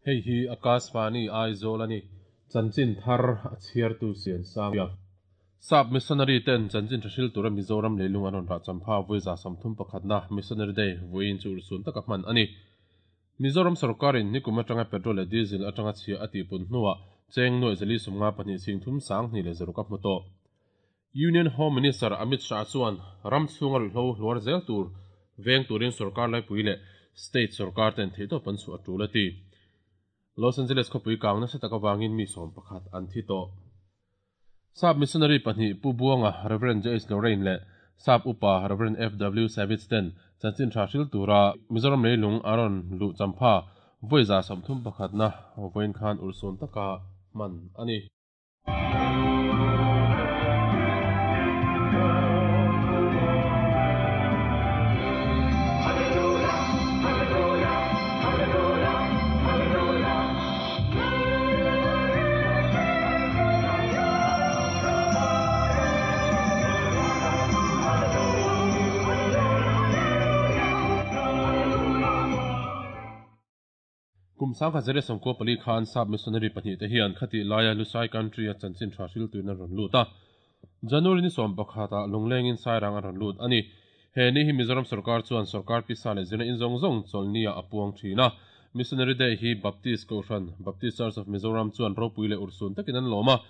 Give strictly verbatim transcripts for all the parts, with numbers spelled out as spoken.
Hei hi Akashvani Aizawl a ni. Chanchin thar a chhiartu sian sang a. Sap missionary ten chanchin tha hril tura Mizoram leilung an rawn rah champha vawiza sawmthum pakhatna Missionary Day vawiin chu urhsun taka hman a ni. Mizoram sorkarin nikum atanga petrol leh diesel atanga chhia a tihpun hnuah cheng nuaih zali sawmnga pahnih sing thum sang hnih leh zaruk a hmu tawh. Union Home Minister Amit Shah chuan ram chhunga ruihhlo hluar zel tur veng turin sorkar laipui leh state sorkar ten theihtawp an chhuah a tul a ti. Los Angeles khawpui kang nasa tak avangin mi sawm pakhat an thi tawh. Sap missionary pahnih Pu Buanga Reverend J H Lorraine leh Sap upa Reverend F W Savage ten chanchin tha hril tura Mizoram leilung a rawn luh champha vawiza sawmthum pakhatna vawiin khan urhsun taka hman a ni. Kum sangkhat zere sawmkua pali khan sap missionary pahnih te hian khati laia Lusai country a chanchin tha hril tuin an rawn lut a. January ni sawm pakhata lunglengin sairang an rawn lut a ni. He ni hi Mizoram sarkar chuan sarkar pisa leh zirna in zawng zawng chawlhnia a puang thin a. Missionary Day hi Baptist Kohhran, Baptist Church of Mizoram chuan ropui leh urhsun takin an lawm a.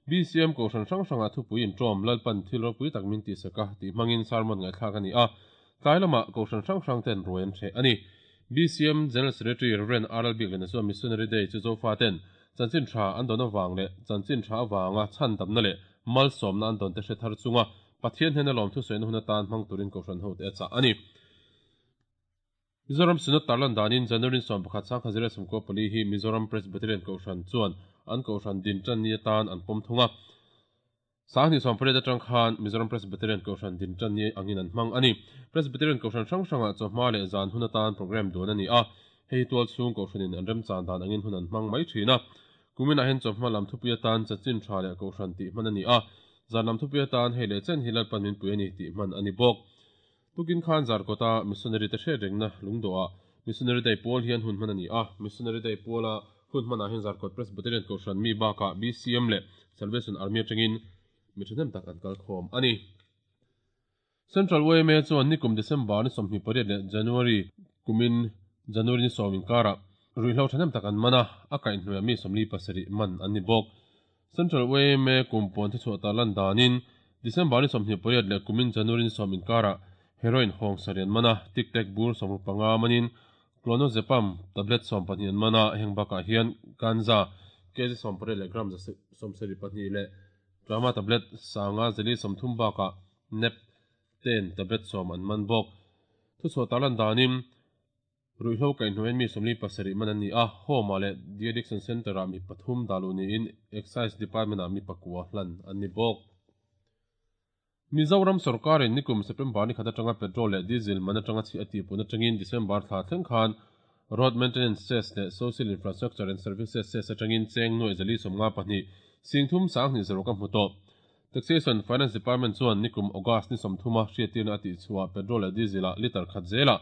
B C M Kohhran hrang hrangah thupui intawm Lalpan thil ropui tak min tihsak a tih hmangin sermon ngaihthlak a ni a. Tlai lamah Kohhran hrang hrang ten ruai an hreh a ni. B C M General Secretary Reverend R L Biklena chuan Missionary Day chu Zofa ten chanchin tha an dawn awang leh chanchin tha awanga chhan damna leh malsawmna an dawn te hre thar chunga Pathian hnen a lawm thusawina hun atan hmang turin Kohhran ho te a chah a ni. Mizoram Synod tarlan danin January sawm pakhat sangkhat zero sawmkua pali hi Mizoram Presbyterian Kohhran chuan an Kohhran din tan ni atan an pawm thung a. Sangni sawm pariat atang khan Mizoram Presbyterian Kohhran din tan ni angin an hmang a ni. Presbyterian Kohhran hrang hrangah chawhma leh zan hun atan program duan a ni a. Hei tual chhung Kohhranin an remchan dan angin hun an hmang mai thin a. Kuminah hian chawhma lam thupui atan chanchin tha leh Kohhran tih hman a ni a. Zan lam thupui atan hei leh chen hi Lalpan min pui a ni tih hman a ni bawk. Tukin khan Zarkawta missionary te hriat rengna lungdawhah Missionary Day pawl hian hun hman a ni a. Missionary Day pawla hun hmanah hian Zarkawt Presbyterian Kohhran mi bakah B C M leh Salvation Army atangin mi thahnem tak an kal khawm a ni. Central Y M A chuan nikum December ni sawmhnih pariat leh January kumin January ni sawm inkarah ruihhlo thahnem tak an man a, a kaihhnuaiah mi sawmli pasarih man an ni bawk. Central Y M A kum puan thuchhuah tarlan danin December ni sawmhnih pariat leh kumin January ni sawm inkarah heroin hawng sarian man a, tic tac bur sawmruk panga manin clonazepam tablet sawm pahnih an man a, heng bakah hian ganja kg sawm pariat leh gram sawmsarih pahnih leh drama tablet sanga zali sawmthum bakah nep ten tablet sawm an man bawk. Thuchhuah tarlan danin ruihhlo kaihhnuaiin mi sawmli pasarih man an ni a, home-ah leh de addiction center-ah mi pathum dalu niin excise department-ah mi pakua hlan an ni bawk. Mizoram sarkarin nikum September ni khat atanga petrol leh diesel man atanga chhi a tihpun atangin December thla thleng khan road maintenance cess leh social infrastructure and services cess atangin cheng nuaih zali sawmnga pahnih singthum sanghnih zaruk a hmu tawh. Taxation Finance Department chuan nikum August ni sawmthuma hriattirna a tihchhuah petrol leh diesel-ah liter khat zelah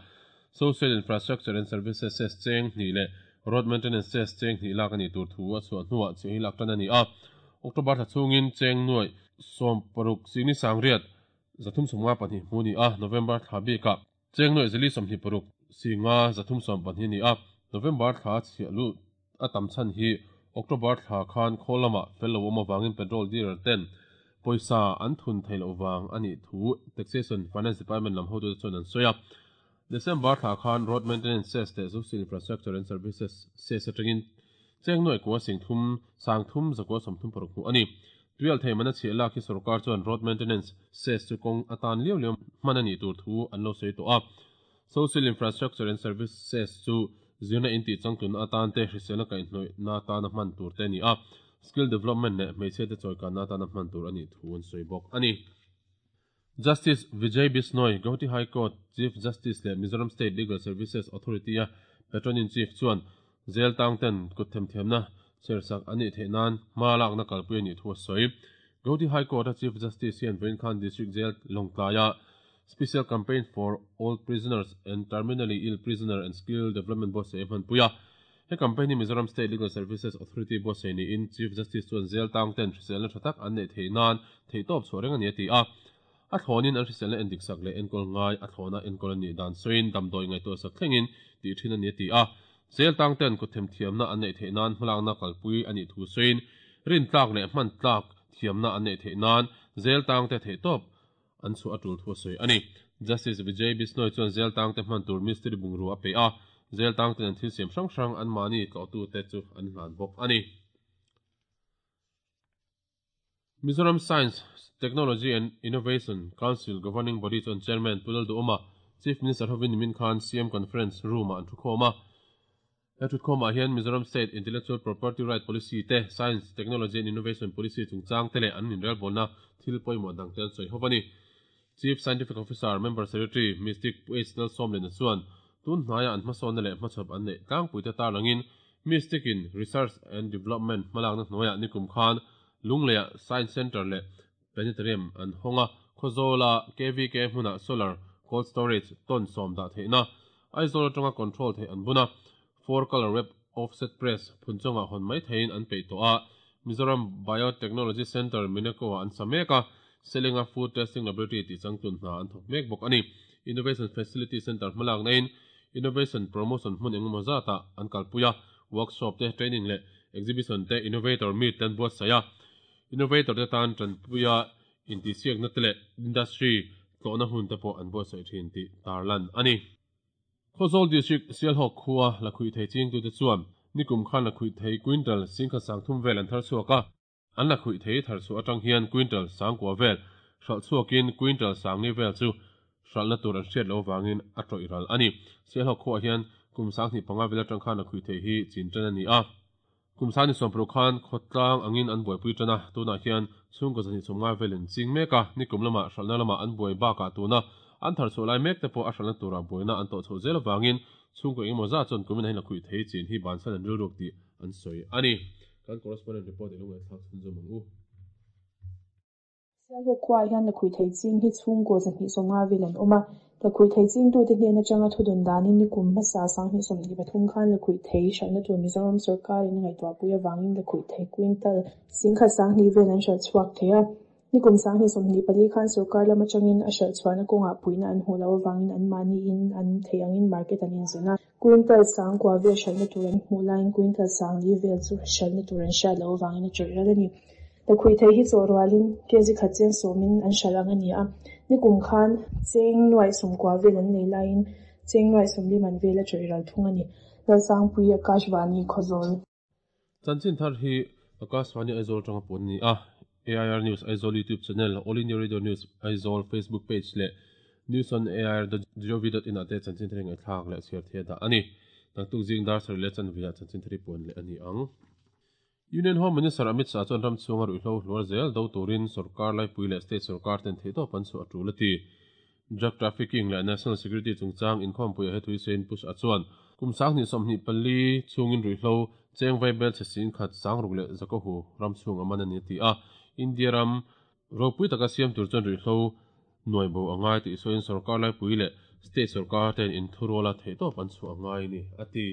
social infrastructure and services cess cheng hnih leh road maintenance cess cheng hnih lak a ni tur thu a chhuah hnuah chhi hi lak tan a ni a. October thla chhungin cheng nuaih sawm paruk singni sangriat zathum sawmnga pahnih hmu ni a, November thla bikah cheng nuaih zali sawmhnih paruk singa zathum sawm pahnih ni a, November thla chhiah lu a tam chhan hi October thla khan khawl lamah fel lo awm awangin petrol dealer ten pawisa an thun thei lo wang a nih thu Taxation Finance Department lam hotu te chuan an sawi a. December thla khan road maintenance cess leh social infrastructure and services cess atangin cheng nuaih kua singthum sangthum zakua sawmthum paruk hmu a ni. Tuial thei man a chhiah lak hi sarkar chuan road maintenance cess chu kawng atan liau liau hman a nih tur thu an lo sawi tawh a. Social infrastructure and services chu zirna in tih changtun atan te hriselna kaihhnawih na atan a hman tur te a ni a. Skill development leh hmeichhe te chawikanna atan a hman tur a nih thu an sawi bawk a ni. Justice Vijay Bishnoi, Guwahati High Court Chief Justice leh Mizoram State Legal Services Authority a Patron in Chief chuan zel tang ten kut themthiamna chersak a nih theih nan hma lakna kalpui a nih thu a sawi. Guwahati High Court a Chief Justice hian vawiin khan District Jail Lawngtlaia Special Campaign for All Prisoners and Terminally Ill Prisoner and Skill Development Board se hmanpui a. He campaign hi Mizoram State Legal Services Authority buatsaih niin Chief Justice chuan zel tang ten hriselna tha tak an neih theih nan theihtawp chhuah reng a ni a ti a. A thlawnin an hriselna endik sak leh enkawl ngai a thlawna enkawl a nih dan sawiin damdawi ngaihtuah sak thlengin tih thin a ni a ti a. Zel tang ten kut themthiamna an neih theih nan hmalakna kalpui a nih thu sawiin rin tlak leh hman tlak thiamna an neih theih nan zel tang te theihtawp an chhuah a tul thu a sawi a ni. Justice Vijay Bishnoi chuan zel tang te hman tur mistiri bungrua a pe a. Zel tang ten an thil siam hrang hrang an mahni tlawhtu te chu an hlan bawk a ni. Mizoram Science, Technology and Innovation Council Governing Body chuan Chairman Pu Lalduhoma, Chief Minister hovin nimin khan C M Conference Room-ah an thukhawm a. He thukhawmah hian Mizoram State Intellectual Property Right Policy te, Science, Technology and Innovation Policy chungchang te leh an inrelbawlna thil pawimawh dang te an sawi ho a ni. Chief Scientific Officer, Member Secretary, Mystic Pu H Lalsawmliana chuan tun hnaiah an hmasawnna leh hmachhawp an neih tlangpuite tarlangin Mystic in Research and Development hmalakna hnuaiah nikum khan Lungleiah Science Centre leh Planetarium an hawng a, Khawzawla K V K hmunah Solar Cold Storage ton sawm dah theihna, Aizawl atanga control theih an bun a, four color web offset press phunchawngah hawn mai theiin an peih tawh a, Mizoram Biotechnology Centre Mineko-ah an sa mek a, Selinga Food Testing Laboratory tih changtlun hna an thawk mek bawk a ni. Innovation Facility Centre hmalak naiin Innovation Promotion hmun engemaw zatah an kalpui a, workshop te, training leh exhibition te innovator meet te an buatsaih a, innovator te tan tanpuia intihsiakna te leh industry tlawhna hun te pawh an buatsaih thin tih tarlan a ni. Khawzawl District Sialhawk khua la khuih thei chingtute chuan nikum khan la khuih thei quintal singkhat sang thum vel an thar chhuak a, an la khuih thei thar chhuah atang hian quintal sangkua vel hralh chhuakin quintal sangli vel chu hralhna tur an hriat lo vangin a tawih ral a ni. Sialhawk khuah hian kum sanghnih panga vel atang khan la khuih thei hi chin tan a ni a. Kum sangni sawmpru khan khawtlang angin an buaipui tan a, tunah hian chhungkaw zahnih sawmnga velin ching mek a, nikum lamah hralhna lamah an buai bakah tuna an thar chhuah lai mek te pawh a hralhna turah buaina an tawh chhoh zel avangin chhungkaw engemaw zat chuan kumin ahin la khuih thei chin hi bansan an rilruk tih an sawi a ni. Kan correspondent report i lo ngaihthlak chhunzawm ang u. Sialhawk khuaah hian la khuih thei ching hi chhungkaw zahnih sawmnga vel an awm a, la khuih thei chingtute hnen atanga thudun danin nikum hmasa sanghnih sawmhnih pathum khan la khuih thei hralhna tur Mizoram sawrkarin a ngaihtuahpui avangin la khuih thei quintal singkhat sanghnih vel an hralh chhuak thei a. Nikum sanghnih sawmhnih pali khan sawrkar lam atangin a hralh chhuahna kawngah puihna an hmuh loh avangin an mahniin an thei angin market an inzawn a. Quintal sangkua vel hralhna tur an hmuh laiin quintal sangli vel chu hralhna tur an hriat loh avangin a tawih ral a ni. La khuih thei hi chaw rualin kg khat cheng sawmin an hralh ang a ni a. Nikum khan cheng nuaih sawmkua vel an nei laiin cheng nuaih sawmli man vel a tawih ral thung a ni. Lalsangpui Akashvani Khawzawl. Chanchin thar hi Akashvani Aizawl tanga pawn a ni a. A I R News Aizawl YouTube channel, All India Radio News Aizawl Facebook page leh News on A I R dot gov dot in ah te chanchin thar hi ngaihthlak leh chhiar thei a dah a ni. Naktuk zing dar sarih leh chanveah chanchin thar hi puan leh a ni ang. Union Home Minister Amit Shah chuan ram chhunga ruihhlo hluar zel do turin sawrkar laipui leh state sawrkar ten theihtawp an chhuah a tul a ti. Drug trafficking leh national security chungchang inkhawmpuiah he thui sawiin Pu Shah chuan kum sanghnih sawmhnih pali chhungin ruihhlo cheng vaibel chhe singkhat sangruk leh zakohu ram chhung a man a ni a ti a. India ram ropui taka siam tur chuan ruihhlo nuai bo a ngai tih sawiin sawrkar laipui leh state sawrkar ten inthuruala theihtawp an chhuah a ngai ni a ti.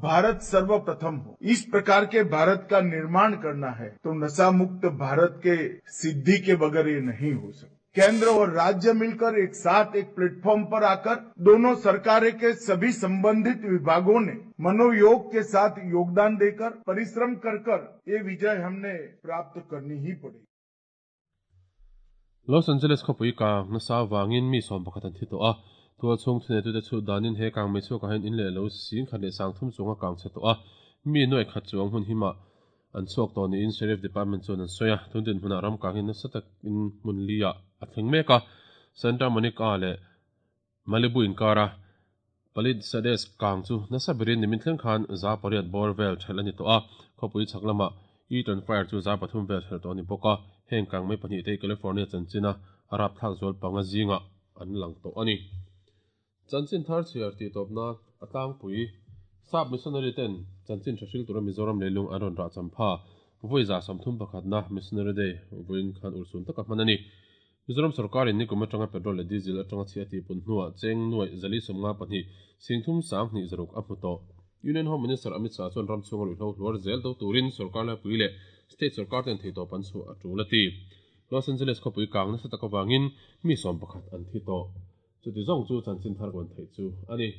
Bharat सर्वप्रथम हो, इस प्रकार के भारत का निर्माण करना है तो नशा मुक्त भारत के सिद्धि के बगैर ये नहीं हो सकता। केंद्र और राज्य मिलकर एक साथ एक प्लेटफॉर्म पर आकर दोनों सरकारें के सभी संबंधित विभागों ने मनोयोग के साथ योगदान देकर परिश्रम कर कर ये विजय हमने प्राप्त करनी ही पड़ेगी। Los Angeles khawpui kang nasa wangin mi sawm pakhat an thi tawh a, tual chhung thuneitute chu danin he kang mei chhuakah hian in leh lo sing khat leh sang thum chunga kang chhe tawh a, mi nuai khat chuang hun hima an chhuak tawh niin Sheriff Department chuan an sawi a, tundin hmunah ram kang hi nasa takin hmun li ah a thleng mek a, Santa Monica leh Malibu inkara Palisades kang chu nasa berin nimin thleng khan za pariat bawr vel thelh a ni tawh a, khawpui chhak lamah Eaton Fire chu za pathum vel thelh tawh a ni bawk a, heng kang mai pahnih te California chanchina Arab thlak zual panga zinga an lang tawh a ni. Chanchin thar chhiar tih tawpna a tlangpui sap missionary ten chanchin tha hril tura Mizoram leilung an rawn rah champha vawiza sawmthum pakhatna missionary day vawiin khan ursun taka hman a ni. Mizoram sawrkarin nikum atanga petrol leh diesel atanga chhia tih pun hnuah cheng nuai zali sawmnga pahnih singthum sanghnih zaruk a hmu tawh. Union Home Minister Amit Shah chuan ram chhunga ruihhlo hluar zel do turin sorkar laipui leh state sorkar ten theitawp an chhuah a tul a ti. Los Angeles khawpui kang nasa tak avangin mi sawm pakhat an thi tawh. Chuti zawng chu chanchin thar kawn theih chu a ni.